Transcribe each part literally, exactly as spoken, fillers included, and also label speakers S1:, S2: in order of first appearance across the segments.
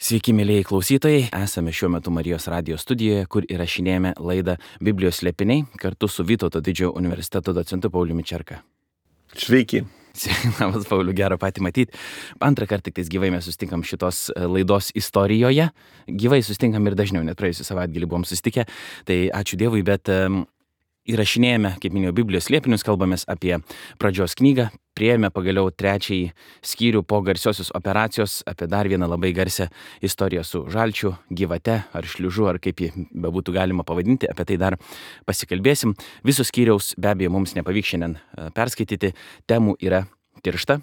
S1: Sveiki, mėlyjei klausytojai, esame šiuo metu Marijos radijo studijoje, kur įrašinėjame laidą Biblijos slėpiniai kartu su Vytauto didžiojo universiteto docentu Pauliumi Čerka.
S2: Sveiki.
S1: Labas, Pauliu, gero patį matyti. Antrą kartą tik tais gyvai mes susitinkam šitos laidos istorijoje. Gyvai susitinkam ir dažniau, net praėjusią savaitgalį buvom susitikę. Tai ačiū Dievui, bet um, įrašinėjame, kaip minėjau, Biblijos slėpinius, kalbamės apie pradžios knygą. Priėjome pagaliau trečiąjį skyrių po garsiosios operacijos, apie dar vieną labai garsią istoriją su žalčiu, gyvate ar šliužu, ar kaip jį bebūtų galima pavadinti, apie tai dar pasikalbėsim. Visos skyriaus be abejo mums nepavyks šiandien perskaityti, temų yra tiršta.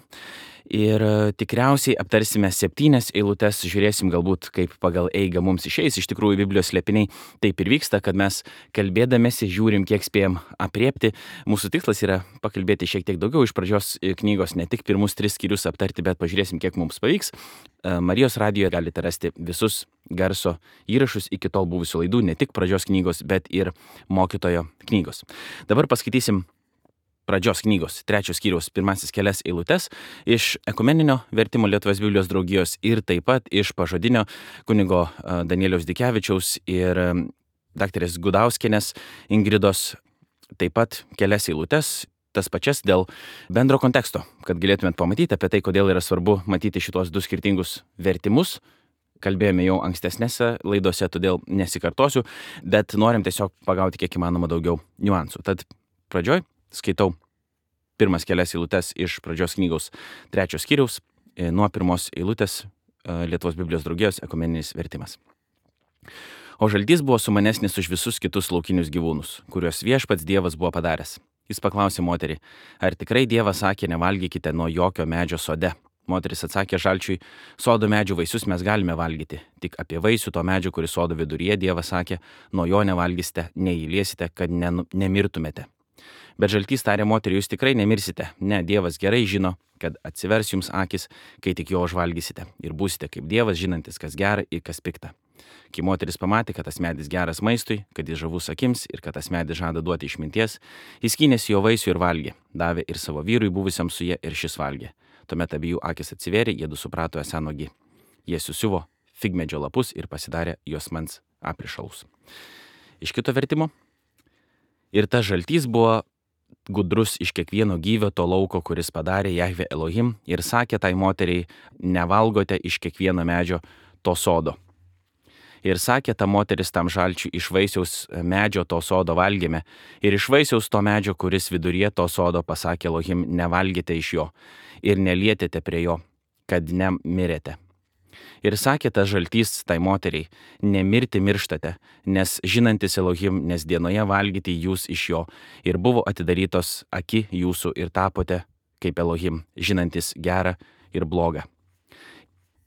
S1: Ir tikriausiai aptarsime septynias eilutes, žiūrėsim galbūt kaip pagal eigą mums išeis. Iš tikrųjų, Biblijos slėpiniai taip ir vyksta, kad mes kalbėdamėsi žiūrim, kiek spėjom apriepti. Mūsų tikslas yra pakalbėti šiek tiek daugiau iš pradžios knygos, ne tik pirmus tris skyrius aptarti, bet pažiūrėsim, kiek mums pavyks. Marijos radijoje galite rasti visus garso įrašus iki tol buvusių laidų, ne tik pradžios knygos, bet ir mokytojo knygos. Dabar paskaitysim pradžios knygos, trečios skyriaus pirmasis kelias eilutes iš ekumeninio vertimo Lietuvos Biblijos draugijos ir taip pat iš pažodinio kunigo Danieliaus Dikevičiaus ir daktarės Gudauskienės Ingridos taip pat kelias eilutes, tas pačias dėl bendro konteksto, kad galėtumėt pamatyti apie tai, kodėl yra svarbu matyti šitos du skirtingus vertimus. Kalbėjome jau ankstesnėse laidose, todėl nesikartosiu, bet norim tiesiog pagauti kiek įmanoma daugiau niuansų. Tad pradžioj skaitau pirmas kelias eilutes iš pradžios knygos trečios skyriaus, nuo pirmos eilutės Lietuvos Biblijos draugijos ekumeninis vertimas. O žaltys buvo sumanesnis už visus kitus laukinius gyvūnus, kuriuos viešpats Dievas buvo padaręs. Jis paklausė moterį, ar tikrai Dievas sakė, nevalgykite nuo jokio medžio sode. Moteris atsakė žalčiui, sodo medžių vaisius mes galime valgyti, tik apie vaisių to medžio, kuris sodo viduryje, Dievas sakė, nuo jo nevalgysite, neįliesite, kad ne, nemirtumėte. Bet žaltys tarė moteriai, jūs tikrai nemirsite. Ne, Dievas gerai žino, kad atsivers jums akis, kai tik jo užvalgysite. Ir būsite kaip Dievas, žinantis, kas gera ir kas pikta. Kai moteris pamatė, kad tas medis geras maistui, kad jis žavus akims ir kad tas medis žada duoti išminties, jis skynėsi jo vaisių ir valgė. Davė ir savo vyrui buvusiam su jie ir šis valgė. Tuomet abiejų akis atsivėrė, jie du suprato esą nuogi. Jie susiuvo figmedžio lapus ir pasidarė juosmens aprišalus. Iš kito vertimo. Ir tas žaltys buvo gudrus iš kiekvieno gyvio to lauko, kuris padarė Jahve Elohim, ir sakė tai moteriai, nevalgote iš kiekvieno medžio to sodo. Ir sakė ta moteris tam žalčiui, iš vaisiaus medžio to sodo valgėme, ir iš vaisiaus to medžio, kuris viduryje to sodo, pasakė Elohim, nevalgėte iš jo, ir nelietėte prie jo, kad nemirėte. Ir sakė tas žaltys tai moteriai, nemirti mirštate, nes žinantis Elohim, nes dienoje valgyti jūs iš jo, ir buvo atidarytos aki jūsų ir tapote kaip Elohim, žinantis gerą ir blogą.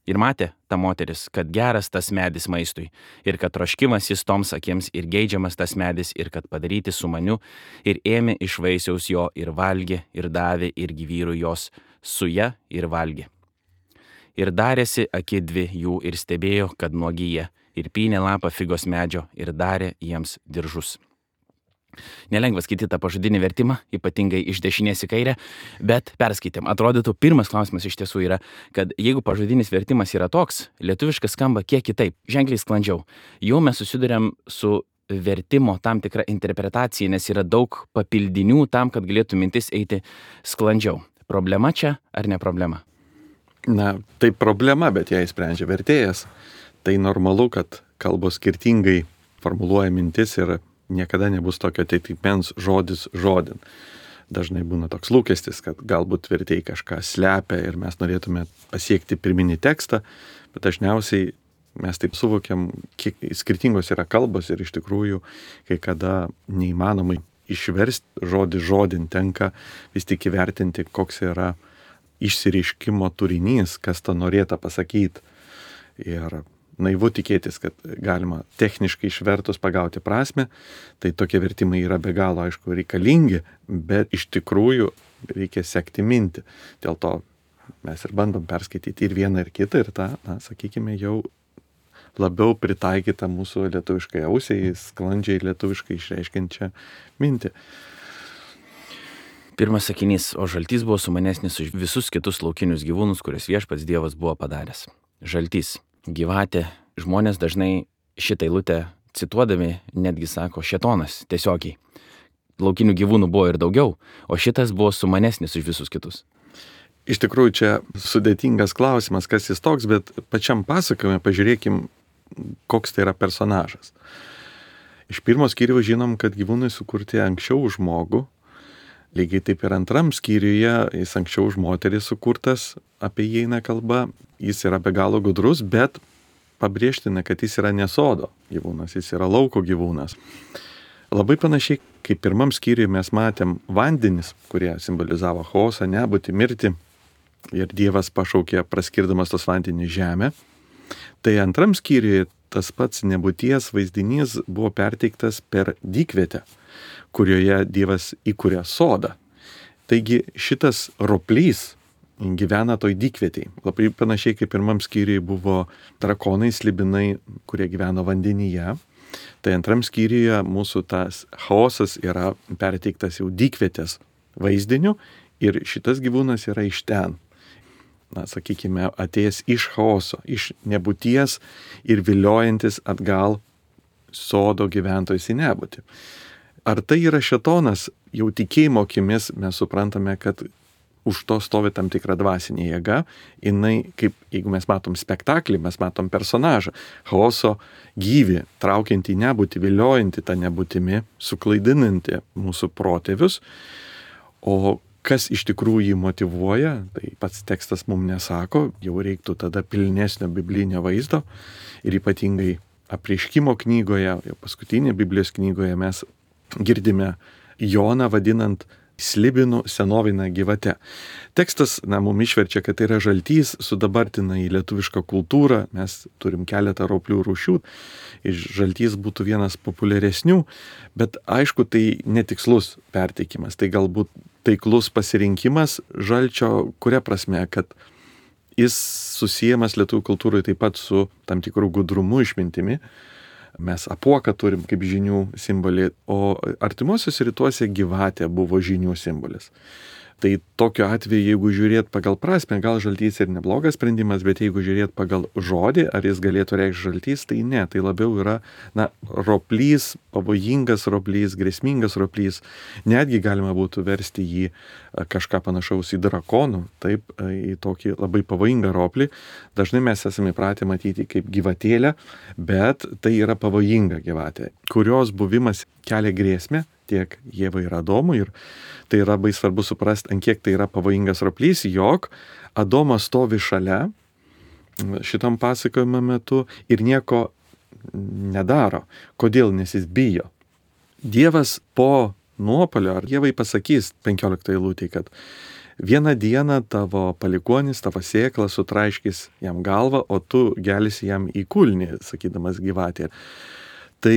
S1: Ir matė ta moteris, kad geras tas medis maistui, ir kad troškimas jis toms akims, ir geidžiamas tas medis, ir kad padaryti su maniu, ir ėmė iš vaisiaus jo, ir valgė, ir davė, ir gyvyrų jos su ja, ir valgė. Ir darėsi aki dvi jų ir stebėjo, kad nuogyje, ir pynė lapą figos medžio ir darė jiems diržus. Nelengva skaityti tą pažodinį vertimą, ypatingai iš dešinės į kairę, bet perskaitėm. Atrodytų, pirmas klausimas iš tiesų yra, kad jeigu pažodinis vertimas yra toks, lietuviškas skamba kiek kitaip, ženkliai sklandžiau. Jau mes susiduriam su vertimo tam tikra interpretacija, nes yra daug papildinių tam, kad galėtų mintis eiti sklandžiau. Problema čia ar ne problema?
S2: Na, tai problema, bet ją sprendžia vertėjas. Tai normalu, kad kalbos skirtingai formuluoja mintis ir niekada nebus tokio atitikmens žodis žodin. Dažnai būna toks lūkestis, kad galbūt vertėjai kažką slepia ir mes norėtume pasiekti pirminį tekstą, bet dažniausiai mes taip suvokiam, kiek skirtingos yra kalbos ir iš tikrųjų, kai kada neįmanomai išversti žodį žodin, tenka vis tik įvertinti, koks yra išsireiškimo turinys, kas tą norėta pasakyti. Ir naivu tikėtis, kad galima techniškai išvertus pagauti prasme, tai tokie vertimai yra be galo, aišku, reikalingi, bet iš tikrųjų reikia sekti mintį. Dėl to mes ir bandom perskaityti ir vieną, ir kitą, ir tą, na, sakykime, jau labiau pritaikytą mūsų lietuviškai ausiai, sklandžiai lietuviškai išreiškiančią mintį.
S1: Pirmas sakinys, o žaltys buvo sumanesnis už visus kitus laukinius gyvūnus, kuriuos viešpats Dievas buvo padaręs. Žaltys. gyvatė. Žmonės dažnai šitą eilutę cituodami netgi sako šėtonas tiesiogiai. Laukinių gyvūnų buvo ir daugiau, o šitas buvo sumanesnis už visus kitus.
S2: Iš tikrųjų, čia sudėtingas klausimas, kas jis toks, bet pačiam pasakojime pažiūrėkim, koks tai yra personažas. Iš pirmo skyriaus žinom, kad gyvūnai sukurti anksčiau už žmogų. Lygiai taip ir antram skyriuje jis anksčiau už moterį sukurtas, apie jį eina kalba. Jis yra be galo gudrus, bet pabrėžtina, kad jis yra ne sodo gyvūnas, jis yra lauko gyvūnas. Labai panašiai, kaip pirmam skyriuje mes matėm vandenis, kurie simbolizavo chaosą, nebūtį, mirtį. Ir Dievas pašaukė praskirdamas tos vandenį žemę. Tai antram skyriuje tas pats nebūties vaizdinys buvo perteiktas per dykvietę, kurioje Dievas įkūrė sodą. Taigi šitas roplys gyvena toj dykvietėj. Labai panašiai kaip pirmam skyriui buvo drakonai, slibinai, kurie gyveno vandenyje. Tai antram skyriuje mūsų tas chaosas yra perteiktas jau dykvietės vaizdiniu ir šitas gyvūnas yra iš ten. Na, sakykime, atėjęs iš chaoso, iš nebūties ir viliojantis atgal sodo gyventojus į nebūtį. Ar tai yra šėtonas? Jau tikėjimo akimis mes suprantame, kad už to stovi tam tikra dvasinė jėga. Jinai, kaip jeigu mes matom spektaklį, mes matom personažą. Chaoso gyvį, traukiantį nebūtį, viliojantį tą nebūtimi, suklaidinantį mūsų protėvius. O kas iš tikrųjų jį motyvuoja, tai pats tekstas mums nesako, jau reiktų tada pilnesnio biblinio vaizdo. Ir ypatingai Apreiškimo knygoje, jau paskutinėje Biblijos knygoje mes girdime Joną vadinant slibinų senovinę gyvatę. Tekstas, na, mums išverčia, kad tai yra žaltys, sudabartina į lietuvišką kultūrą, mes turim keletą roplių rūšių, ir žaltys būtų vienas populiaresnių, bet aišku, tai netikslus perteikimas, tai galbūt taiklus pasirinkimas žalčio, kuria prasme, kad jis susiejamas lietuvių kultūroje taip pat su tam tikrų gudrumu, išmintimi. Mes apuoką turim kaip žinių simbolį, o artimuosiuose rytuose gyvatė buvo žinių simbolis. Tai tokiu atveju, jeigu žiūrėt pagal prasme, gal žaltys ir neblogas sprendimas, bet jeigu žiūrėt pagal žodį, ar jis galėtų reikšti žaltys, tai ne, tai labiau yra, na, roplys, pavojingas roplys, grėsmingas roplys. Netgi galima būtų versti jį kažką panašaus į drakonų, taip, į tokį labai pavojingą roplį. Dažnai mes esame įpratę matyti kaip gyvatėlę, bet tai yra pavojinga gyvatė, kurios buvimas kelia grėsmę tiek Ievai ir Adomui. Ir tai yra labai svarbu suprasti, ant kiek tai yra pavojingas roplys, jog Adomas stovi šalia šitam pasakojimo metu ir nieko nedaro. Kodėl? Nes jis bijo. Dievas po nuopuolio, ar Ievai pasakys penkioliktoj eilutėj, kad vieną dieną tavo palikuonis, tavo sėkla sutraiškys jam galvą, o tu gelsi jam į kulnį, sakydamas gyvatė. Tai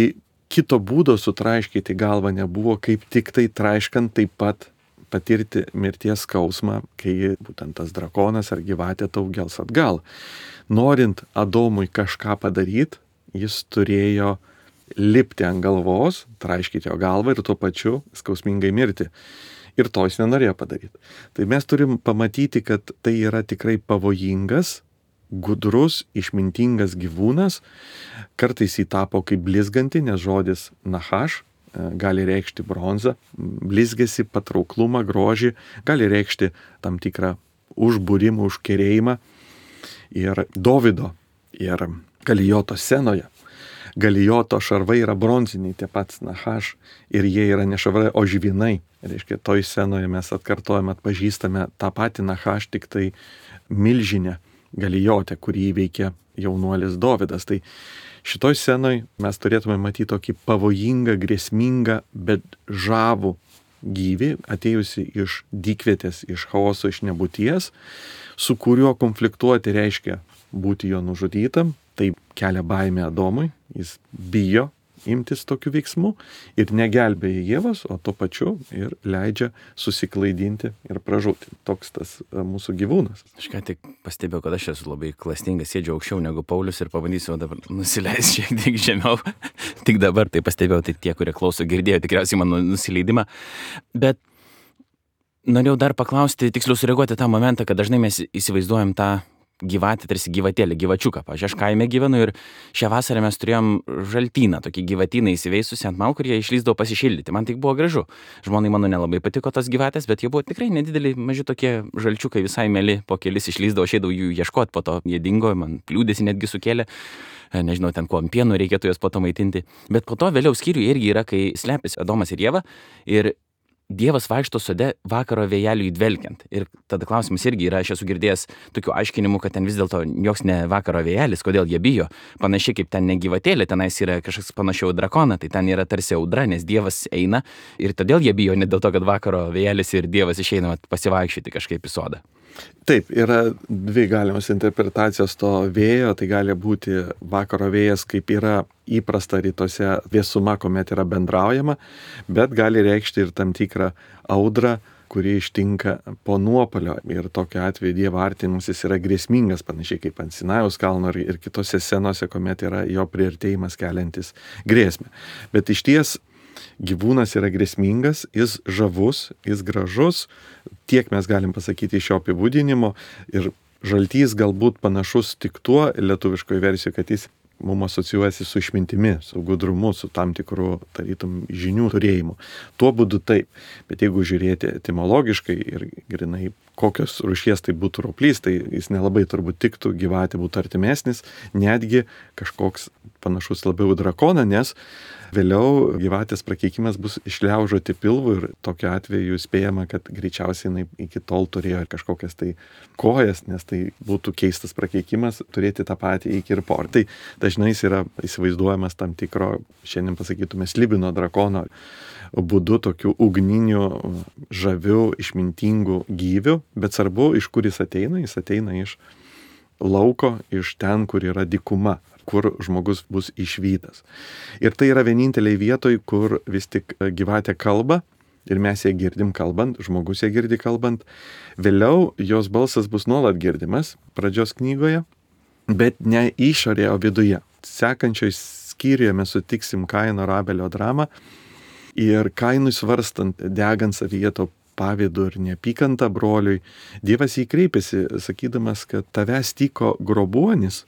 S2: kito būdo sutraiškyti galvą nebuvo, kaip tik tai traiškant taip pat patirti mirties skausmą, kai būtent tas drakonas ar gyvatė tau gels atgal. Norint Adomui kažką padaryti, jis turėjo lipti ant galvos, traiškyti jo galvą ir tuo pačiu skausmingai mirti. Ir to jis nenorėjo padaryti. Tai mes turim pamatyti, kad tai yra tikrai pavojingas, gudrus, išmintingas gyvūnas. Kartais jį tapo kaip blizganti, nes žodis nahaš gali reikšti bronzą, blizgesi, patrauklumą, grožį, gali reikšti tam tikrą užbūrimą, užkerėjimą. Ir Dovydo ir Galijoto scenoje. Galijoto šarvai yra bronziniai, tie pats nahaš, ir jie yra ne šarvai, o žvynai. Reiškia, toj scenoje mes atkartojame, atpažįstame tą patį nahaš, tik tai milžinę Galijotę, kurį įveikė jaunuolis Dovydas. Tai šitoj scenoj mes turėtume matyti tokį pavojingą, grėsmingą, bet žavų gyvį, atėjusi iš dykvietės, iš chaoso, iš nebūties, su kuriuo konfliktuoti reiškia būti jo nužudytam. Tai kelia baimę Adomui, jis bijo imtis tokių veiksmų ir negelbėja Ievos, o tuo pačiu ir leidžia susiklaidinti ir pražūti. Toks tas mūsų gyvūnas.
S1: Aš ką tik pastebėjau, kad aš esu labai klastingas, sėdžiu aukščiau negu Paulius ir pabandysiu dabar nusileisti šiek tiek žemiau. Tik dabar tai pastebėjau, tai tie, kurie klauso, girdėjo tikriausiai mano nusileidimą. Bet norėjau dar paklausti, tiksliau sureaguoti tą momentą, kad dažnai mes įsivaizduojam tą gyvatė, tarsi gyvatėlė, gyvačiuką. Pavyzdžiui, aš kaime gyvenu ir šią vasarą mes turėjom žaltyną, tokį gyvatyną įsiveisusi ant malkų ir jie išlįsdavo pasišildyti. Man tai buvo gražu. Žmonai mano nelabai patiko tos gyvatės, bet jie buvo tikrai nedideli, maži tokie žalčiukai, visai mėly, po kelis išlįsdavo, aš eidavau jų ieškoti, po to jie dingo, man liūdėsi netgi sukėlė. Nežinau, ten kuo pienu reikėtų juos po to maitinti. Bet po to vėliau skyriui irgi yra, kai slepiasi Adomas ir Ieva ir Dievas vaikšto sode vakaro vėjeliui dvelkiant. Ir tada klausimas irgi yra, aš esu girdėjęs tokių aiškinimų, kad ten vis dėlto joks ne vakaro vėjelis, kodėl jie bijo. Panašiai kaip ten ne gyvatėlė, tenais yra kažkas panašiau drakoną, tai ten yra tarsi audra, nes Dievas eina ir todėl jie bijo, ne dėl to, kad vakaro vėjelis ir Dievas išeina pasivaikščioti kažkaip į sodą.
S2: Taip, yra dvi galimos interpretacijos to vėjo, tai gali būti vakaro vėjas, kaip yra įprasta rytuose vėsuma, kuomet yra bendraujama, bet gali reikšti ir tam tikrą audrą, kuri ištinka po nuopolio ir tokiu atveju Dievo artinimasis yra grėsmingas, panašiai kaip ant Sinajaus kalno ir kitose scenose, kuomet yra jo priartėjimas keliantis grėsmę. Bet iš ties gyvūnas yra grėsmingas, jis žavus, jis gražus, tiek mes galim pasakyti iš šio apibūdinimo ir žaltys galbūt panašus tik tuo lietuviškoje versijoje, kad jis mums asocijuojasi su išmintimi, su gudrumu, su tam tikru, tarytum, žinių turėjimu. Tuo būdu taip, bet jeigu žiūrėti etimologiškai ir grinai kokios rūšies tai būtų roplys, tai jis nelabai turbūt tiktų, gyvatė būtų artimesnis, netgi kažkoks panašus labiau drakoną, nes vėliau gyvatės prakeikimas bus išliaužoti pilvų ir tokiu atveju spėjama, kad greičiausiai jinai iki tol turėjo kažkokias tai kojas, nes tai būtų keistas prakeikimas turėti tą patį iki ir por. Tai dažnai jis yra įsivaizduojamas tam tikro, šiandien pasakytume, slibino drakono būdu, tokiu ugniniu, žaviu, išmintingu gyviu, bet svarbu, iš kur jis ateina, jis ateina iš lauko, iš ten, kur yra dykuma, kur žmogus bus išvytas. Ir tai yra vieninteliai vietoj, kur vis tik gyvatė kalba ir mes ją girdim kalbant, žmogus ją girdi kalbant. Vėliau jos balsas bus nuolat girdimas pradžios knygoje, bet ne išorėje, o viduje. Sekančioj skyriuje mes sutiksim Kaino ir Abelio dramą ir Kainui svarstant, degant savyje to pavydu ir neapykantą broliui, Dievas jį kreipėsi, sakydamas, kad tavęs tyko grobuonis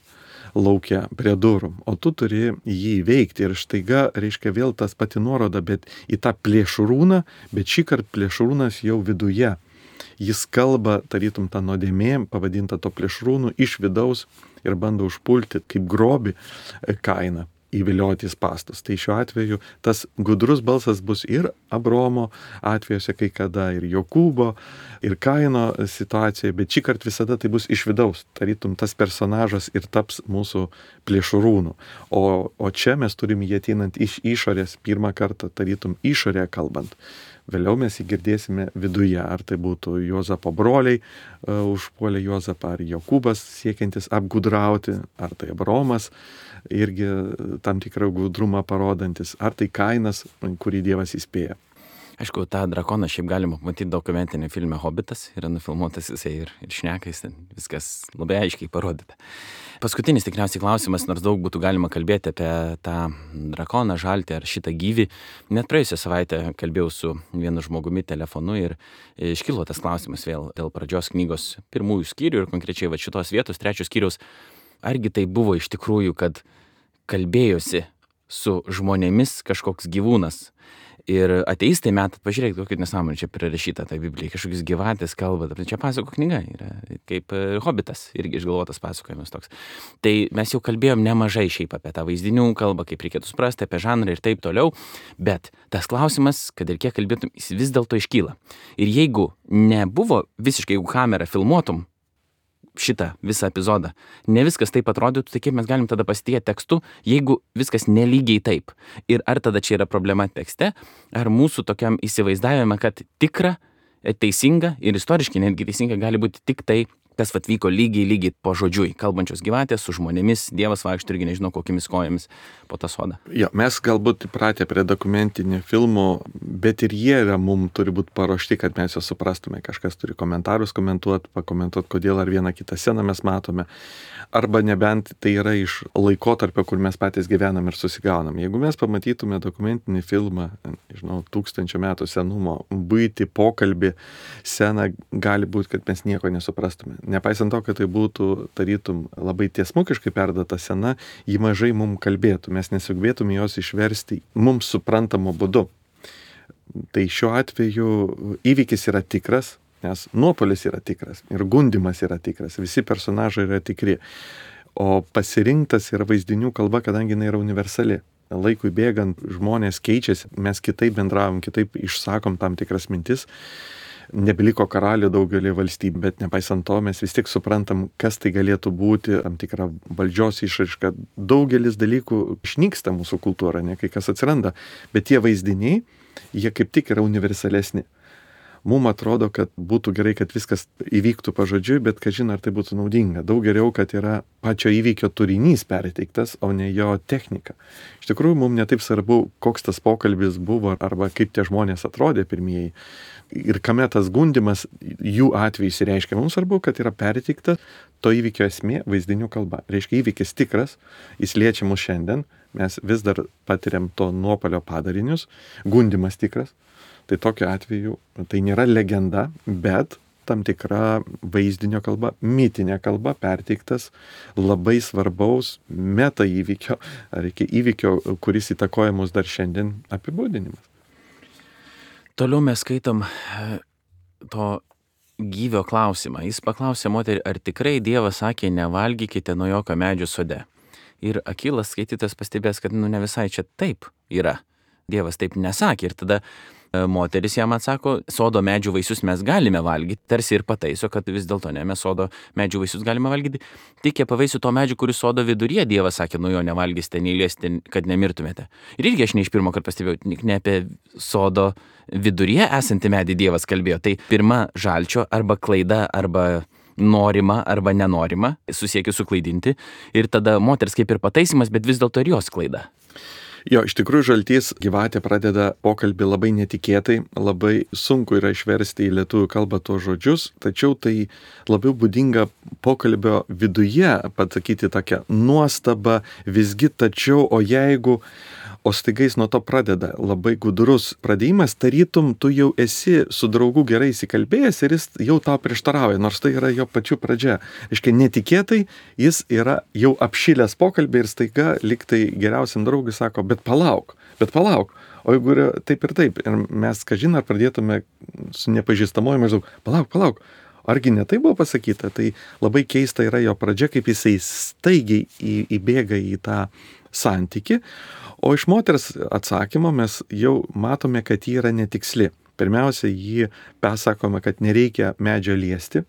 S2: laukia prie durų, o tu turi jį įveikti. Ir štaiga, reiškia, vėl tas pati nuoroda, bet į tą plėšrūną, bet šį kartą plėšrūnas jau viduje. Jis kalba, tarytum tą nuodėmė, pavadinta to plėšrūnų, iš vidaus ir bando užpulti kaip grobį Kainą, įvilioti į spąstus. Tai šiuo atveju tas gudrus balsas bus ir Abraomo atvejuose kai kada, ir Jokūbo, ir Kaino situacijoje, bet šį kartą visada tai bus iš vidaus. Tarytum tas personažas ir taps mūsų plėšrūnų. O, o čia mes turim jį ateinant iš išorės, pirmą kartą tarytum išorėje kalbant. Vėliau mes jį girdėsime viduje, ar tai būtų Juozapo broliai uh, užpuolė Juozapą, ar Jokūbas siekiantis apgudrauti, ar tai Abraomas irgi tam tikrą gudrumą parodantis, ar tai Kainas, kurį Dievas įspėja.
S1: Aišku, tą drakoną šiaip galima matyti dokumentinį filme Hobbitas, yra nufilmuotas jisai ir, ir šnekais, ten viskas labai aiškiai parodyta. Paskutinis tikriausiai klausimas, nors daug būtų galima kalbėti apie tą drakoną, žaltį ar šitą gyvį. Net praėjusią savaitę kalbėjau su vienu žmogumi telefonu ir iškilo tas klausimas vėl dėl pradžios knygos pirmųjų skyrių ir konkrečiai va šitos vietos, trečios skyriaus. Argi tai buvo iš tikrųjų, kad kalbėjosi su žmonėmis kažkoks gyvūnas? Ir ateistai metat, pažiūrėkit, kokia nesąmonė čia prirašyta tai Biblijai, kažkokius gyvatės kalba, čia pasako knyga yra, kaip Hobbitas, irgi išgalvotas pasakojimas toks. Tai mes jau kalbėjom nemažai šiaip apie tą vaizdinių kalbą, kaip reikėtų suprasti, apie žanrą ir taip toliau, bet tas klausimas, kad ir kiek kalbėtum, jis vis dėlto iškyla. Ir jeigu nebuvo visiškai, jeigu kamerą filmuotum šitą visą epizodą, ne viskas taip atrodytų, tai kaip mes galim tada pasitikėti tekstu, jeigu viskas nelygiai taip. Ir ar tada čia yra problema tekste, ar mūsų tokiam įsivaizdavime, kad tikra, teisinga ir istoriškai netgi teisinga gali būti tik tai, kas atvyko lygiai, lygiai po žodžiui, kalbančios gyvatės su žmonėmis, Dievas vaikšto irgi nežinau kokiamis kojomis po tą sodą.
S2: Jo, mes galbūt įpratę prie dokumentinių filmų, bet ir jie yra, mums turi būti paruošti, kad mes juos suprastume. Kažkas turi komentarus komentuoti, pakomentuoti, kodėl ar vieną kitą sceną mes matome. Arba nebent tai yra iš laikotarpio, kur mes patys gyvenam ir susigaunam. Jeigu mes pamatytume dokumentinį filmą, žinau, tūkstančio metų senumo, buitį, pokalbį, sceną, gali būti, kad mes nieko nesuprastume. nepaisant to, kad tai būtų tarytum labai tiesmukiškai perdata scena, ji mažai mums kalbėtų, mes nesugebėtume jos išversti mums suprantamu būdu. Tai šiuo atveju įvykis yra tikras, nes nuopolis yra tikras ir gundimas yra tikras, visi personažai yra tikri. O pasirinktas yra vaizdinių kalba, kadangi jinai yra universali. Laikui bėgant žmonės keičiasi, mes kitaip bendravom, kitaip išsakom tam tikras mintis. Nebeliko karalių daugelį valstybių, bet nepaisant to mes vis tik suprantam, kas tai galėtų būti, tam tikra valdžios išraiška. Daugelis dalykų išnyksta mūsų kultūra, ne kai kas atsiranda, bet tie vaizdiniai, jie kaip tik yra universalesni. Mums atrodo, kad būtų gerai, kad viskas įvyktų pažodžiui, bet kažin ar tai būtų naudinga. Daug geriau, kad yra pačio įvykio turinys perteiktas, o ne jo technika. Iš tikrųjų, mums netaip svarbu, koks tas pokalbis buvo arba kaip tie žmonės atrodė pirmieji. Ir kame tas gundimas jų atveju įsireiškia. Mums svarbu, kad yra perteikta to įvykio esmė vaizdinių kalba. Reiškia, įvykis tikras, jis liečia mus šiandien, mes vis dar patiriam to nuopolio padarinius, gundimas tikras. Tai tokiu atveju tai nėra legenda, bet tam tikra vaizdinio kalba, mitinė kalba perteiktas labai svarbaus meta įvykio, ar iki įvykio, kuris įtakoja mus dar šiandien apibūdinimas.
S1: Toliau mes skaitom to gyvio klausimą. Jis paklausė moterį, ar tikrai Dievas sakė, nevalgykite nuo jokio medžio sode. Ir akylas skaitytas pastebės, kad nu ne visai čia taip yra. Dievas taip nesakė. Ir tada moteris jam atsako, sodo medžių vaisius mes galime valgyti, tarsi ir pataiso, kad vis dėlto ne, mes sodo medžių vaisius galime valgyti. Tik apie vaisių to medžių, kuris sodo viduryje, Dievas sakė, nu jo nevalgysite, neįliesite, kad nemirtumėte. Ir irgi aš ne iš pirmo karto pastebėjau, ne apie sodo viduryje esantį medį Dievas kalbėjo. Tai pirma žalčio arba klaida, arba norima, arba nenorima, susiekiu suklaidinti. Ir tada moters kaip ir pataisimas, bet vis dėlto ir jos klaida.
S2: Jo, iš tikrųjų žaltys gyvatė pradeda pokalbį labai netikėtai, labai sunku yra išversti į lietuvių kalbą tuos žodžius, tačiau tai labiau būdinga pokalbio viduje pasakyti tokią nuostabą, visgi tačiau, o jeigu, o staiga jis nuo to pradeda labai gudrus pradėjimas, tarytum tu jau esi su draugu gerai įsikalbėjęs ir jis jau tau prieštarauja, nors tai yra jo pačių pradžia. Aiškiai, netikėtai jis yra jau apšilęs pokalbį ir staiga liktai geriausiam draugui sako, bet palauk, bet palauk. O jeigu yra taip ir taip, ir mes, kažin, ar pradėtume su nepažįstamoju maždaug, palauk, palauk, argi ne tai buvo pasakyta, tai labai keista yra jo pradžia, kaip jisai staigiai į, įbėga į tą santyki. O iš moters atsakymo mes jau matome, kad ji yra netiksli. Pirmiausia, jį pasakome, kad nereikia medžio liesti.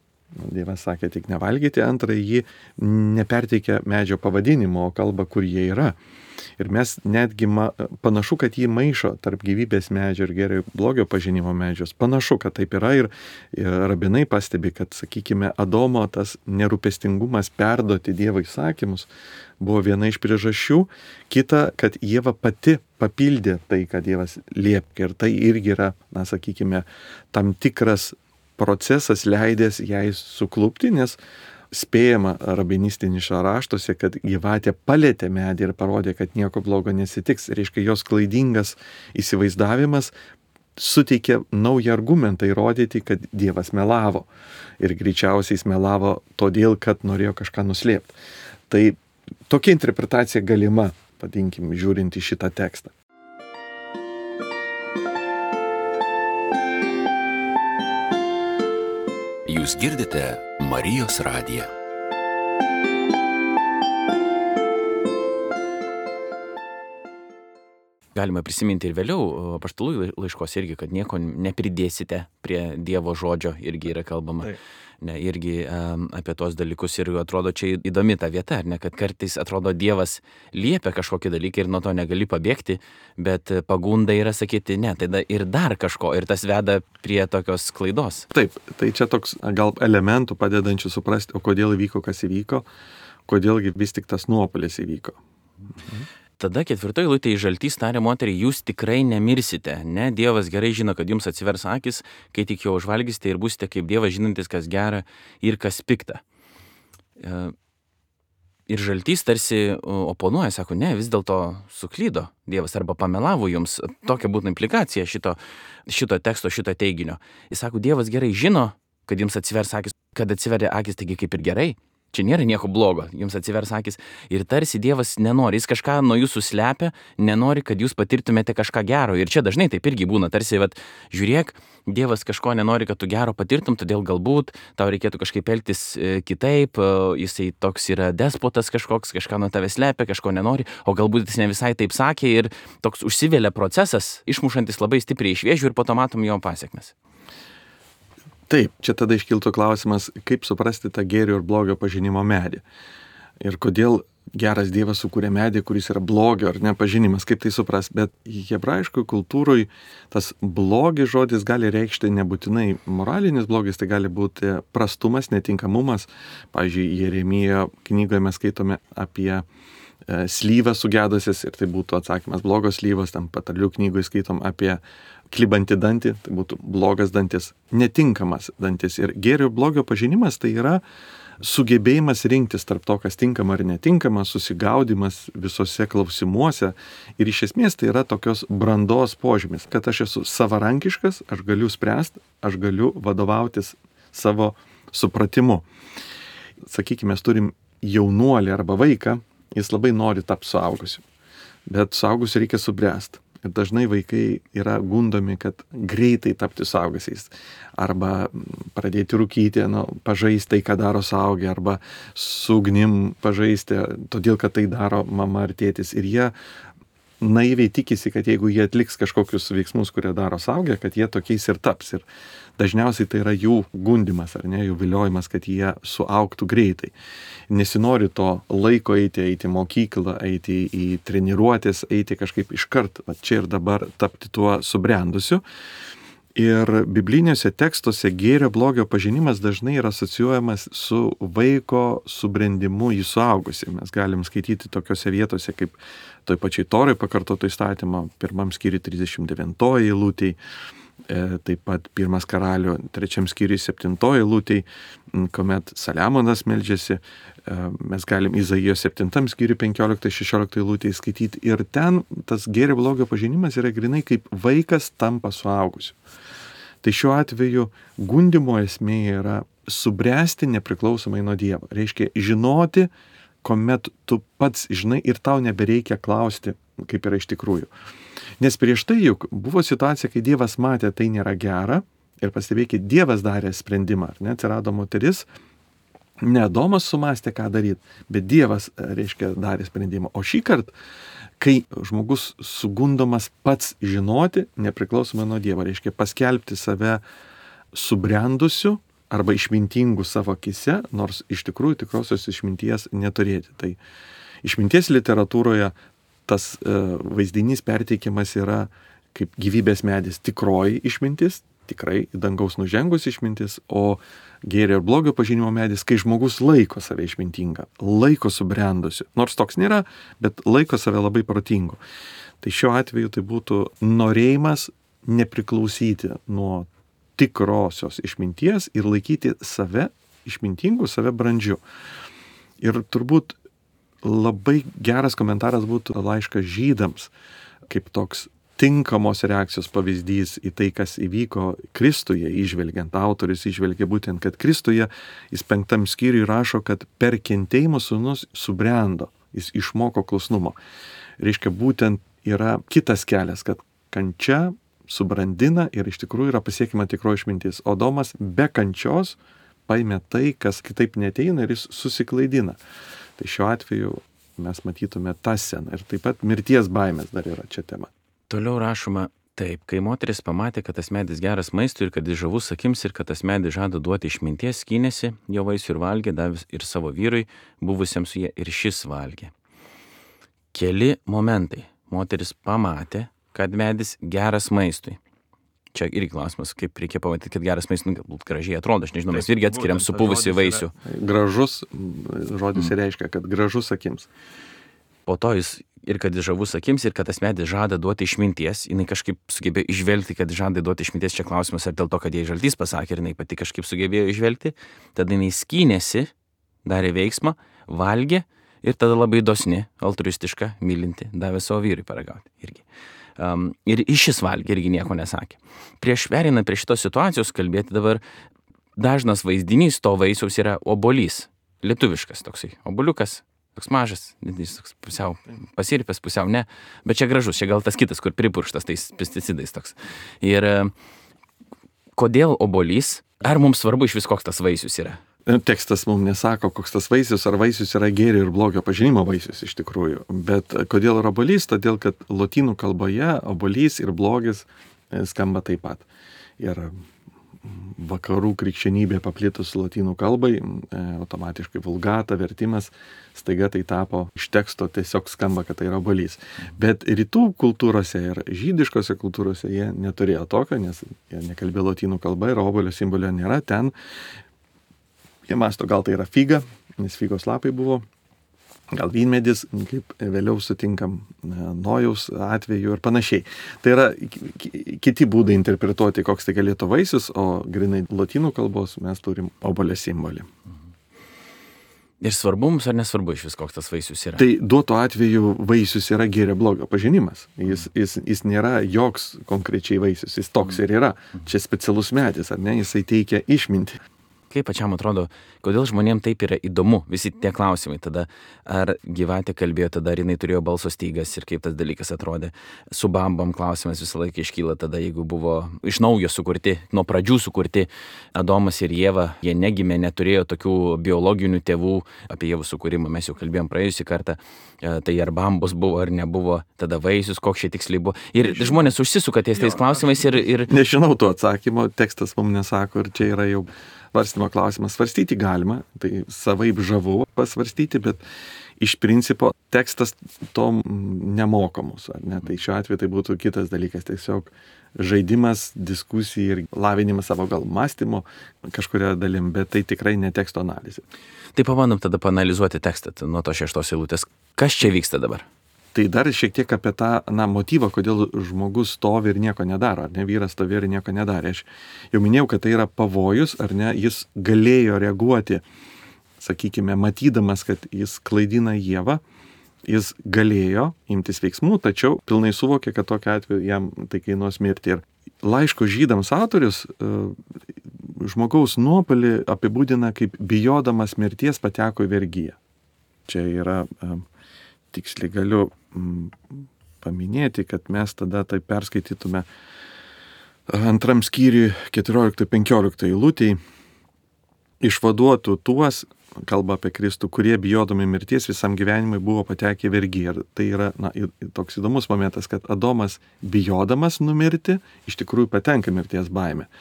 S2: Dievas sakė tik nevalgyti. Antra, jį neperteikia medžio pavadinimo, o kalba, kur jie yra. Ir mes netgi ma, panašu, kad jį maišo tarp gyvybės medžio ir gėrio blogio pažinimo medžios. Panašu, kad taip yra ir, ir rabinai pastebi, kad, sakykime, Adomo tas nerūpestingumas perduoti Dievo įsakymus buvo viena iš priežasčių. Kita, kad Ieva pati papildė tai, ką Dievas liepė. Ir tai irgi yra, na, sakykime, tam tikras procesas leidęs jai suklupti, nes spėjama rabinistiniuose raštuose, kad gyvatė palėtė medį ir parodė, kad nieko blogo nesitiks. Reiškia, jos klaidingas įsivaizdavimas suteikė naują argumentą įrodyti, kad Dievas melavo. Ir greičiausiai jis melavo todėl, kad norėjo kažką nuslėpti. Tai tokia interpretacija galima, vadinkim, žiūrint į šitą tekstą.
S3: Jūs girdite Marijos radiją.
S1: Galima prisiminti ir vėliau apaštalų laiškos irgi, kad nieko nepridėsite prie Dievo žodžio, irgi yra kalbama. Taip. Ne, irgi um, apie tos dalykus ir atrodo čia įdomi ta vieta, ar ne, kad kartais atrodo Dievas liepia kažkokį dalyką ir nuo to negali pabėgti, bet pagunda yra sakyti, ne, tai ir dar kažko ir tas veda prie tokios klaidos.
S2: Taip, tai čia toks gal elementų padedančių suprasti, o kodėl įvyko, kas įvyko, kodėlgi vis tik tas nuopolis įvyko.
S1: Mhm. Tada ketvirtoji eilutė žaltys tarė moteriai, jūs tikrai nemirsite, ne, Dievas gerai žino, kad jums atsivers akis, kai tik jo užvalgysite ir būsite kaip Dievas žinantis, kas gera ir kas pikta. Ir žaltys tarsi oponuoja, sako, ne, vis dėlto suklydo Dievas arba pamelavo jums. Tokia būtų implikacija šito, šito teksto, šito teiginio. Jis sako, Dievas gerai žino, kad jums atsivers akis, kad atsiveria akis, taigi kaip ir gerai. Čia nėra nieko blogo, jums atsivers akis ir tarsi Dievas nenori, jis kažką nuo jūsų slepia, nenori, kad jūs patirtumėte kažką gero. Ir čia dažnai taip irgi būna, tarsi, vat, žiūrėk, Dievas kažko nenori, kad tu gero patirtum, todėl galbūt tau reikėtų kažkaip elgtis kitaip, jisai toks yra despotas kažkoks, kažką nuo tavęs slepia, kažko nenori, o galbūt jis ne visai taip sakė ir toks užsivelia procesas, išmušantis labai stipriai iš vėžių ir po to matom jo pasiekmes.
S2: Taip, čia tada iškiltų klausimas, kaip suprasti tą gėrio ir blogio pažinimo medį. Ir kodėl geras Dievas sukūrė medį, kuris yra blogio ar nepažinimas, kaip tai supras. Bet hebrajiškoj kultūroj tas blogis žodis gali reikšti nebūtinai moralinis blogis, tai gali būti prastumas, netinkamumas. Pavyzdžiui, Jeremijo knygoje mes skaitome apie slyvą sugedusias ir tai būtų atsakymas blogos slyvos, tam Patarlių knygoje skaitom apie klibantį dantį, tai būtų blogas dantis, netinkamas dantis. Ir gėrio ir blogio pažinimas tai yra sugebėjimas rinktis tarp to, kas tinkama ar netinkama, susigaudimas visose klausimuose. Ir iš esmės tai yra tokios brandos požymis, kad aš esu savarankiškas, aš galiu spręsti, aš galiu vadovautis savo supratimu. Sakykime, mes turim jaunuolį arba vaiką, jis labai nori tapti suaugusiu, bet suaugusiu reikia subręsti. Ir dažnai vaikai yra gundomi, kad greitai tapti suaugusiais. Arba pradėti rūkyti, nu, pažaisti tai, ką daro suaugę, arba su ugnim pažaisti, todėl, kad tai daro mama ar tėtis. Ir jie naiviai tikisi, kad jeigu jie atliks kažkokius veiksmus, kurie daro suaugę, kad jie tokiais ir taps. Ir dažniausiai tai yra jų gundimas, ar ne, jų viliojimas, kad jie suaugtų greitai. Nesinori to laiko eiti, eiti į mokyklą, eiti į treniruotės, eiti kažkaip iškart, va čia ir dabar tapti tuo subrendusiu. Ir bibliniuose tekstuose gėrio blogio pažinimas dažnai yra asocijuojamas su vaiko subrendimu į suaugusį. Mes galim skaityti tokiose vietose kaip toj pačiai Torai pakartoto įstatymo, pirmam skyriui trisdešimt devintoji eilutėj, taip pat pirmas karalių trečiam skyriui septintoji eilutėj, kuomet Saliamonas meldžiasi, mes galim Izaijos septintam skyriui penkioliktai šešioliktai eilutėj skaityti ir ten tas gėrio blogio pažinimas yra grinai kaip vaikas tampa suaugusiu. Tai šiuo atveju gundimo esmė yra subręsti nepriklausomai nuo Dievo. Reiškia žinoti, kuomet tu pats žinai ir tau nebereikia klausti, kaip yra iš tikrųjų. Nes prieš tai juk buvo situacija, kai Dievas matė, tai nėra gera ir pastebėkit, Dievas darė sprendimą, ar ne, atsirado moteris, ne Adomas sumastė, ką daryti, bet Dievas, reiškia, darė sprendimą. O šį kartą, kai žmogus sugundomas pats žinoti, nepriklausomai nuo Dievo, reiškia paskelbti save subrendusiu arba išmintingu savo akise, nors iš tikrųjų tikrosios išminties neturėti. Tai išminties literatūroje tas e, vaizdinys perteikiamas yra kaip gyvybės medis tikroji išmintis, tikrai dangaus nužengus išmintis, o gėrio ir blogio pažinimo medis, kai žmogus laiko save išmintingą, laiko subrendusiu. Nors toks nėra, bet laiko save labai protingu. Tai šiuo atveju tai būtų norėjimas nepriklausyti nuo tikrosios išminties ir laikyti save išmintingu, save brandžiu. Ir turbūt labai geras komentaras būtų laiškas Žydams, kaip toks tinkamos reakcijos pavyzdys į tai, kas įvyko Kristuje, įžvelgiant, autorius įžvelgia būtent, kad Kristuje, jis penktam skyriui rašo, kad per kentėjimą sūnus subrendo, jis išmoko klusnumo. Reiškia, būtent yra kitas kelias, kad kančia subrandina ir iš tikrųjų yra pasiekima tikroji išmintis. O Domas be kančios paėmė tai, kas kitaip neteina ir jis susiklaidina. Tai šiuo atveju mes matytume tą sceną. Ir taip pat mirties baimės dar yra čia tema.
S1: Toliau rašoma taip, kai moteris pamatė, kad tas medis geras maistui ir kad jis žavus akims ir kad tas medis žada duoti išminties, skynėsi jo vaisių ir valgė, davė ir savo vyrui, buvusiam su jie, ir šis valgė. Keli momentai. Moteris pamatė, kad medis geras maistui. Čia irgi klausimas, kaip reikia pamatyti, kad geras maistas, nu, galbūt gražiai atrodo, aš nežinau, mes irgi atskiriam supuvusi vaisių.
S2: Gražus žodis reiškia, kad gražus akims.
S1: Po to jis ir kad jis žavus akims, ir kad tas medis žada duoti išminties, jinai kažkaip sugebėjo išvelgti, kad žada duoti išminties, čia klausimas, ar dėl to, kad jai žaltys pasakė, ir jinai pati kažkaip sugebėjo išvelgti, tada jinai skynėsi, darė veiksmą, valgė, ir tada labai dosni, altruistiška, mylinti, davė savo vyrui paragauti irgi. Um, ir iš šis valgė irgi nieko nesakė. Prieš perinant prie šitos situacijos kalbėti dabar, dažnas vaizdinys to vaisiaus yra obuolys. Lietuviškas toksai. Obuoliukas, toks mažas, jis toks pusiau pasirpęs, pusiau ne. Bet čia gražus, čia gal tas kitas, kur pripurkštas tais pesticidais toks. Ir kodėl obuolys? Ar mums svarbu iš vis koks tas vaisius yra?
S2: Tekstas mums nesako, koks tas vaisius, ar vaisius yra gėrio ir blogio pažinimo vaisius iš tikrųjų. Bet kodėl yra obuolys? Todėl, kad lotynų kalboje obuolys ir blogis skamba taip pat. Ir vakarų krikščionybė paplitus lotynų kalbai, automatiškai vulgata, vertimas, staiga tai tapo iš teksto, tiesiog skamba, kad tai yra obuolys. Bet rytų kultūrose ir žydiškose kultūrose jie neturėjo tokio, nes jie nekalbėjo lotynų kalba ir obuolio simbolio nėra ten. Jie masto, gal tai yra figa, nes figos lapai buvo, gal vynmedis, kaip vėliau sutinkam Nojaus atveju ir panašiai. Tai yra kiti būdai interpretuoti, koks tai galėtų vaisius, o grinai lotynų kalbos mes turim obuolio simbolį.
S1: Ir svarbu mums ar nesvarbu iš vis, koks tas vaisius yra?
S2: Tai duoto atveju vaisius yra gėrio blogio pažinimas. Jis, jis, jis nėra joks konkrečiai vaisius, jis toks ir yra. Čia specialus medis, ar ne, jisai teikia išmintį.
S1: Kaip pačiam atrodo, kodėl žmonėms taip yra įdomu visi tie klausimai tada, ar gyvatė kalbėjo tada, ar jinai turėjo balso stygas ir kaip tas dalykas atrodė. Su bambom klausimas visą laiką iškyla tada, jeigu buvo iš naujo sukurti, nuo pradžių sukurti Adomas ir Ieva, jie negimė, neturėjo tokių biologinių tėvų, apie Ievų sukūrimą mes jau kalbėjom praėjusį kartą, tai ar bambos buvo ar nebuvo, tada vaisius, koks čia tiksliai buvo. Ir žmonės užsisuka ties tais klausimais ir... ir...
S2: Nežinau to atsakymo, tekstas mums nesako ir čia yra jau svarstymo klausimas. Svarstyti galima, tai savaip žavu pasvarstyti, bet iš principo tekstas to nemoko mūsų, ar ne? Tai šiuo atveju tai būtų kitas dalykas, tiesiog žaidimas, diskusija ir lavinimas savo gal mąstymo kažkuria dalim, bet tai tikrai ne teksto analizė.
S1: Tai pabandom tada paanalizuoti tekstą nuo to šeštos eilutės. Kas čia vyksta dabar?
S2: Tai dar šiek tiek apie tą na, motyvą, kodėl žmogus stovi ir nieko nedaro, ar ne, vyras stovi ir nieko nedarė. Aš jau minėjau, kad tai yra pavojus, ar ne, jis galėjo reaguoti, sakykime, matydamas, kad jis klaidina Ievą, jis galėjo imtis veiksmų, tačiau pilnai suvokė, kad tokiu atveju jam tai kainuos mirti. Ir laiško žydams autorius žmogaus nuopelį apibūdina kaip bijodamas mirties pateko į vergiją. Čia yra... Tiksliai galiu mm, paminėti, kad mes tada tai perskaitytume antram skyriui keturioliktai penkioliktai eilutėj. Išvaduotų tuos, kalba apie Kristų, kurie bijodami mirties visam gyvenimui buvo patekę į vergiją. Ir tai yra na, toks įdomus momentas, kad Adomas bijodamas numirti, iš tikrųjų patenka mirties baimė.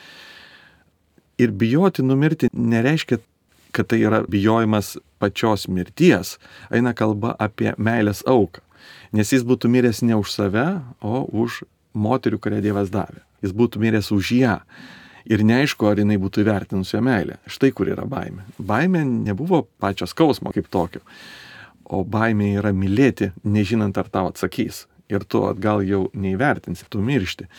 S2: Ir bijoti numirti nereiškia, kad tai yra bijojimas pačios mirties, eina kalba apie meilės auką. Nes jis būtų miręs ne už save, o už moterių, kurią Dievas davė. Jis būtų miręs už ją. Ir neaišku, ar jinai būtų įvertinusi jo meilę. Štai kur yra baimė. Baimė nebuvo pačios skausmo kaip tokio, o baimė yra mylėti, nežinant, ar tau atsakys. Ir tu atgal jau neįvertinsi, tu miršti.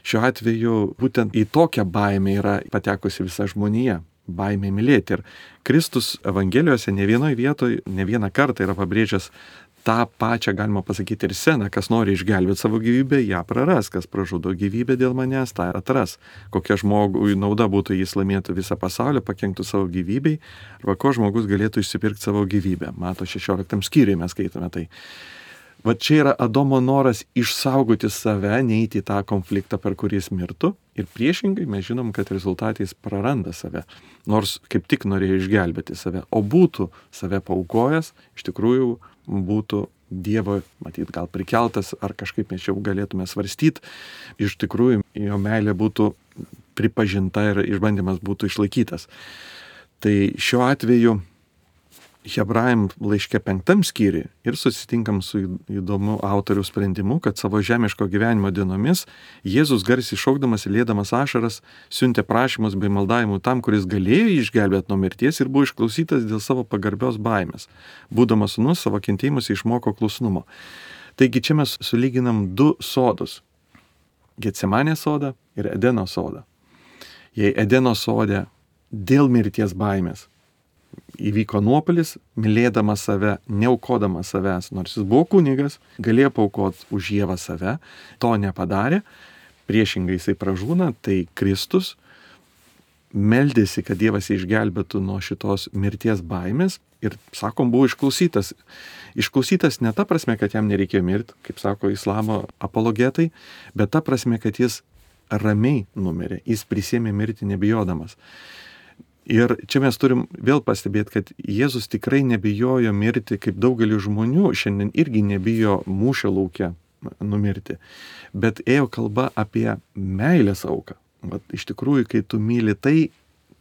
S2: Šiuo atveju būtent į tokią baimę yra patekusi visa žmonija. Baimė mylėti. Ir Kristus Evangelijose ne vienoje vietoje, ne vieną kartą yra pabrėžęs tą pačią, galima pasakyti, ir seną, kas nori išgelbėti savo gyvybę, ją praras, kas pražudo gyvybę dėl manęs, tą atras. Kokia žmogui nauda būtų, jis laimėtų visą pasaulį, pakenktų savo gyvybei, arba ko žmogus galėtų išsipirkti savo gyvybę. Mato šešioliktam skyriui mes skaitome tai. Va čia yra Adomo noras išsaugoti save, neiti į tą konfliktą, per kurį jis mirtų. Ir priešingai mes žinom, kad rezultatai jis praranda save. Nors kaip tik norėjo išgelbėti save. O būtų save paaukojęs, iš tikrųjų būtų Dievo, matyt, gal prikeltas, ar kažkaip mes jau galėtume svarstyti. Iš tikrųjų jo meilė būtų pripažinta ir išbandymas būtų išlaikytas. Tai šiuo atveju Hebrajam laiške penktam skyriui ir susitinkam su įdomu autorių sprendimu, kad savo žemiško gyvenimo dienomis Jėzus garsiai šaukdamas ir liedamas ašaras siuntė prašymus bei maldavimų tam, kuris galėjo jį išgelbėti nuo mirties ir buvo išklausytas dėl savo pagarbios baimės. Būdamas sūnus, savo kentėjimus išmoko klusnumo. Taigi čia mes sulyginam du sodus. Getsemanės sodą ir Edeno sodą. Jei Edeno sode dėl mirties baimės įvyko nuopuolis, mylėdamas save, neaukodamas savęs, nors jis buvo kunigas, galėjo paaukoti už Ievą save, to nepadarė, priešingai jisai pražūna, tai Kristus meldėsi, kad Dievas jį išgelbėtų nuo šitos mirties baimės ir, sakom, buvo išklausytas. Išklausytas ne ta prasme, kad jam nereikėjo mirti, kaip sako islamo apologetai, bet ta prasme, kad jis ramiai numirė, jis prisėmė mirti nebijodamas. Ir čia mes turim vėl pastebėti, kad Jėzus tikrai nebijojo mirti, kaip daugelis žmonių šiandien irgi nebijo mūšio lauke numirti. Bet ėjo kalba apie meilės auką. Vat, iš tikrųjų, kai tu myli tai,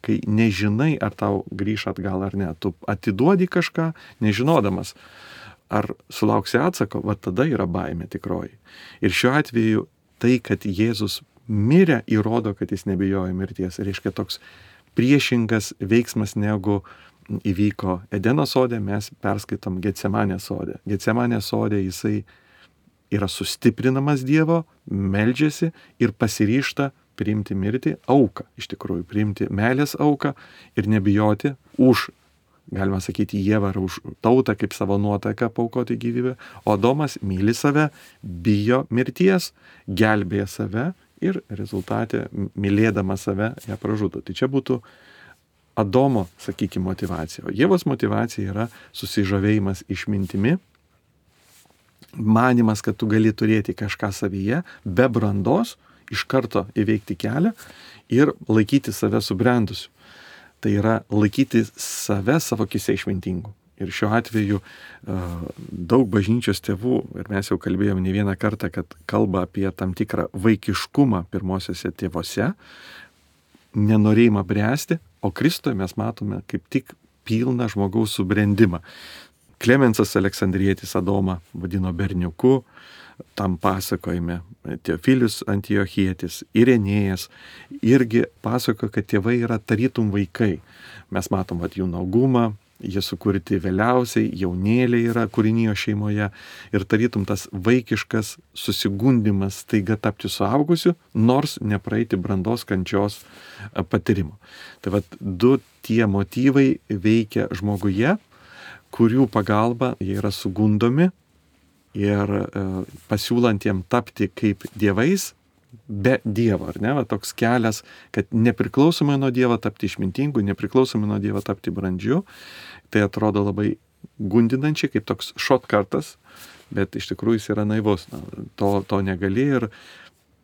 S2: kai nežinai, ar tau grįš atgal ar ne, tu atiduodi kažką, nežinodamas, ar sulauksi atsako, va tada yra baimė tikroji. Ir šiuo atveju tai, kad Jėzus mirė, įrodo, kad jis nebijojo mirties. Reiškia toks priešingas veiksmas negu įvyko Edeno sode, mes perskaitom Getsemanės sode. Getsemanės sode jisai yra sustiprinamas Dievo, meldžiasi ir pasiryžta priimti mirtį, auką, iš tikrųjų, priimti meilės auką ir nebijoti už, galima sakyti, Ievą ar už tautą kaip savo nuotaiką paaukoti gyvybę. O Adomas myli save, bijo mirties, gelbėja save ir rezultate, mylėdama save, ją pražudo. Tai čia būtų Adomo, sakykime, motivacija. O Ievos motivacija yra susižavėjimas išmintimi, manimas, kad tu gali turėti kažką savyje, be brandos, iš karto įveikti kelią ir laikyti save subrendusiu. Tai yra laikyti save savo akise išmintingu. Ir šiuo atveju daug bažnyčios tėvų, ir mes jau kalbėjome ne vieną kartą, kad kalba apie tam tikrą vaikiškumą pirmosiuose tėvose, nenorėjimą bręsti, o Kristuje mes matome kaip tik pilną žmogaus subrendimą. Klemensas Aleksandrietis Adomą vadino berniuku, tam pasakojime Teofilius Antiochietis, Irenėjas irgi pasakojo, kad tėvai yra tarytum vaikai. Mes matom at jų naugumą, jie sukurti vėliausiai, jaunėliai yra kūrinijo šeimoje ir tarytum tas vaikiškas susigundimas staiga tapti suaugusiu, nors nepraeiti brandos kančios patyrimo. Tai vat du tie motyvai veikia žmoguje, kurių pagalba jie yra sugundomi ir e, pasiūlant jiem tapti kaip dievais, be Dievo, ar ne? Va, toks kelias, kad nepriklausomai nuo Dievo tapti išmintingu, nepriklausomai nuo Dievo tapti brandžiu, tai atrodo labai gundinančiai, kaip toks šotkartas, bet iš tikrųjų jis yra naivus. Na, to, to negali ir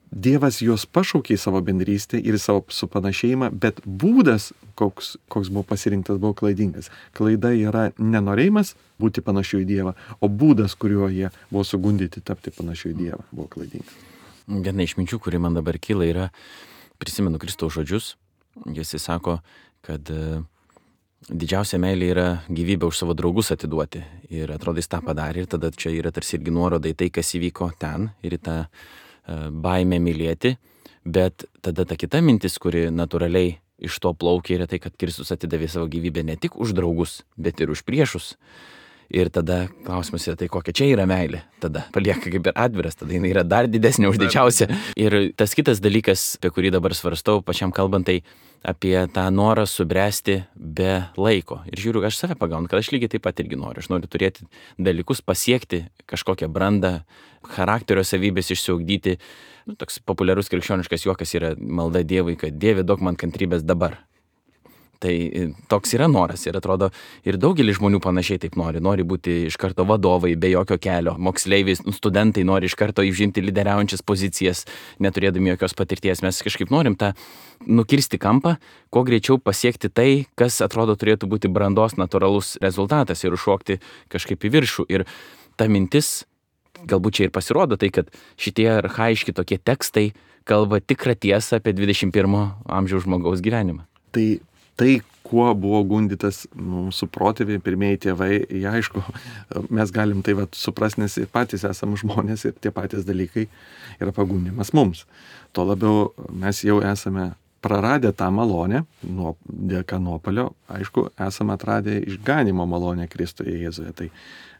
S2: Dievas juos pašaukė į savo bendrystę ir į savo supanašėjimą, bet būdas, koks, koks buvo pasirinktas, buvo klaidingas. Klaida yra nenorėjimas būti panašiu į Dievą, o būdas, kuriuo jie buvo sugundyti tapti panašiu į Dievą, buvo klaidingas.
S1: Viena iš minčių, kuri man dabar kyla, yra, prisimenu Kristaus žodžius, jis sako, kad didžiausia meilė yra gyvybę už savo draugus atiduoti. Ir atrodo, jis tą padarė ir tada čia yra tarsi irgi nuoroda į tai, kas įvyko ten ir į tą baimę mylėti, bet tada ta kita mintis, kuri natūraliai iš to plaukia, yra tai, kad Kristus atidavė savo gyvybę ne tik už draugus, bet ir už priešus. Ir tada klausimas yra, tai kokia čia yra meilė. Tada palieka kaip ir atviras, tada jinai yra dar didesnė už didžiausią. Ir tas kitas dalykas, apie kurį dabar svarstau, pačiam kalbant, tai apie tą norą subręsti be laiko. Ir žiūriu, aš save pagaunu, kad aš lygiai taip pat irgi noriu. Aš noriu turėti dalykus, pasiekti kažkokią brandą, charakterio savybės išsiugdyti. Nu, toks populiarus krikščioniškas juokas yra malda Dievui, kad Dieve duok man kantrybės dabar. Tai toks yra noras ir atrodo, ir daugelis žmonių panašiai taip nori. Nori būti iš karto vadovai, be jokio kelio. Moksleiviai, studentai nori iš karto įžimti lyderiaujančias pozicijas, neturėdami jokios patirties. Mes kažkaip norim tą nukirsti kampą, kuo greičiau pasiekti tai, kas atrodo turėtų būti brandos natūralus rezultatas ir užšokti kažkaip į viršų. Ir ta mintis, galbūt čia ir pasirodo tai, kad šitie archaiški tokie tekstai kalba tikrą tiesą apie dvidešimt pirmo amžiaus žmogaus gyvenimą.
S2: Tai Tai, kuo buvo gundytas mūsų protėviai, pirmieji tėvai, jie aišku, mes galim tai vat suprasti, nes patys esame žmonės ir tie patys dalykai yra pagundimas mums. Tuo labiau mes jau esame praradę tą malonę, nuo, dėka nuopuolio, aišku, esame atradę išganimo malonę Kristuje Jėzuje. Tai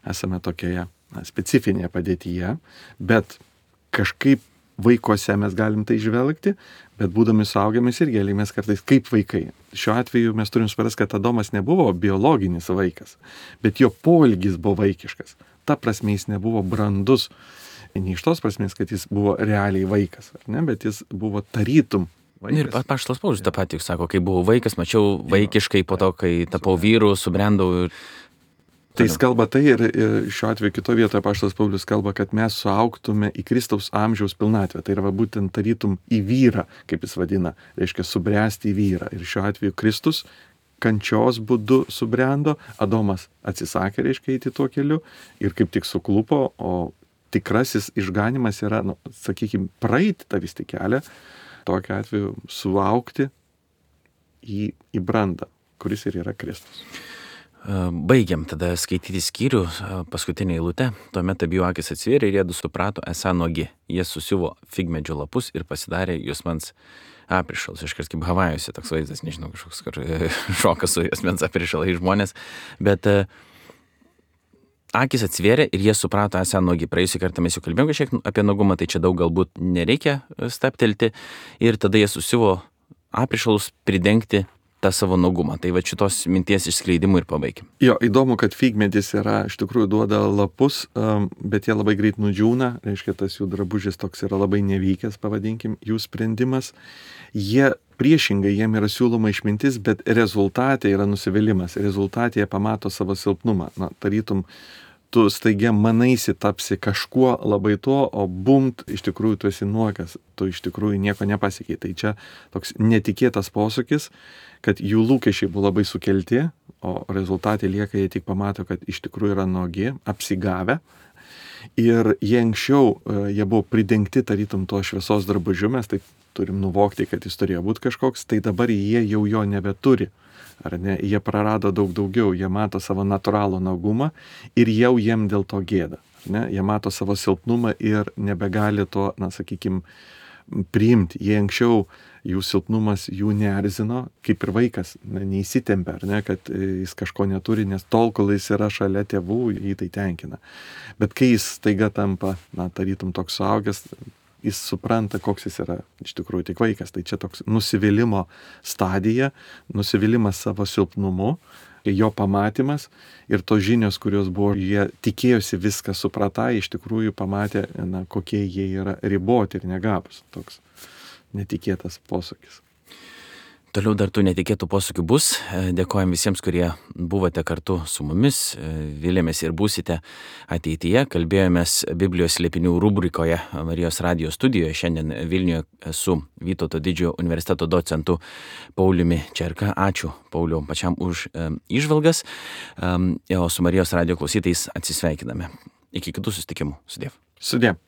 S2: esame tokioje na, specifinėje padėtyje, bet kažkaip vaikuose mes galim tai žvelgti, bet būdami suaugėmis irgi elgiamės kartais kaip vaikai. Šiuo atveju mes turim suprasti, kad Adomas nebuvo biologinis vaikas, bet jo poelgis buvo vaikiškas. Ta prasme jis nebuvo brandus, ne iš tos prasmės, kad jis buvo realiai vaikas, ne? Bet jis buvo tarytum
S1: Ir apaštalas Paulius tą patį sako, kai buvau vaikas, mačiau vaikiškai, po to, kai tapau vyru, subrendau. Ir...
S2: Tai jis kalba tai ir, ir šiuo atveju kito vietoje apaštalas Paulius kalba, kad mes suaugtume į Kristaus amžiaus pilnatvę. Tai yra va, būtent tarytum į vyrą, kaip jis vadina, reiškia subręsti į vyrą. Ir šiuo atveju Kristus kančios būdu subrendo, Adomas atsisakė, reiškia, eiti tuo keliu ir kaip tik suklupo, o tikrasis išganimas yra, nu, sakykime, praeiti tą vis tik kelią, tokiu atveju suaugti į, į brandą, kuris ir yra Kristus.
S1: Baigiam tada skaityti skyrių, paskutinę eilutę. Tuomet abiejų akis atsivėrė ir jie du suprato, esą nuogi. Jie susiuvo figmedžio lapus ir pasidarė juosmens aprišalus. Iškart kaip Havajuose toks vaizdas, nežinau, kažkoks kur šokas su juosmens aprišalai žmonės. Bet akis atsivėrė ir jie suprato, esą nuogi. Praėjusį kartą mes jau kalbėjome kažkiek apie nuogumą, tai čia daug galbūt nereikia staptelti. Ir tada jie susiuvo aprišalus pridengti tą savo nuogumą. Tai va šitos minties išskleidimų ir pabaikim.
S2: Jo, įdomu, kad figmedis yra, iš tikrųjų duoda lapus, bet jie labai greit nudžiūna, reiškia, tas jų drabužis toks yra labai nevykęs, pavadinkim, jų sprendimas. Jie priešingai, jiem yra siūloma išmintis, bet rezultatė yra nusivylimas. Rezultatė jie pamato savo silpnumą. Na, tarytum, tu staigia manaisi tapsi kažkuo labai to, o bumt, iš tikrųjų tu esi nuogas, tu iš tikrųjų nieko nepasiekiai. Tai čia toks netikėtas posūkis, kad jų lūkesčiai buvo labai sukelti, o rezultatai lieka, jie tik pamato, kad iš tikrųjų yra nuogi, apsigavę. Ir jie anksčiau, jie buvo pridengti tarytum to šviesos drabužiu, mes taip turim nuvokti, kad jis turėjo būti kažkoks, tai dabar jie jau jo nebeturi. Ar ne? Jie prarado daug daugiau, jie mato savo natūralų naugumą ir jau jiem dėl to gėda. Ar ne? Jie mato savo silpnumą ir nebegali to, na, sakykime, priimti. Jie anksčiau, jų silpnumas jų neerzino, kaip ir vaikas, na, neįsitempia, ar ne, kad jis kažko neturi, nes tol, kol jis yra šalia tėvų, jį tai tenkina. Bet kai jis staiga tampa, na, tarytum toks suaugęs, jis supranta, koks jis yra iš tikrųjų tik vaikas. Tai čia toks nusivylimo stadija, nusivylimas savo silpnumu, jo pamatymas ir tos žinios, kurios buvo, jie tikėjosi viską supratą, iš tikrųjų pamatė, na, kokie jie yra riboti ir negabūs. Toks netikėtas posūkis.
S1: Toliau dar tų netikėtų posūkių bus. Dėkojam visiems, kurie buvote kartu su mumis. Vilėmės ir būsite ateityje. Kalbėjomės Biblijos slėpinių rubrikoje Marijos radijo studijoje. Šiandien Vilniuje su Vytauto didžiojo universiteto docentu Pauliumi Čerka. Ačiū, Pauliau, pačiam už e, įžvalgas. E, o su Marijos radijo klausytais atsisveikiname. Iki kitų susitikimų. Sudiev.
S2: Sudiev.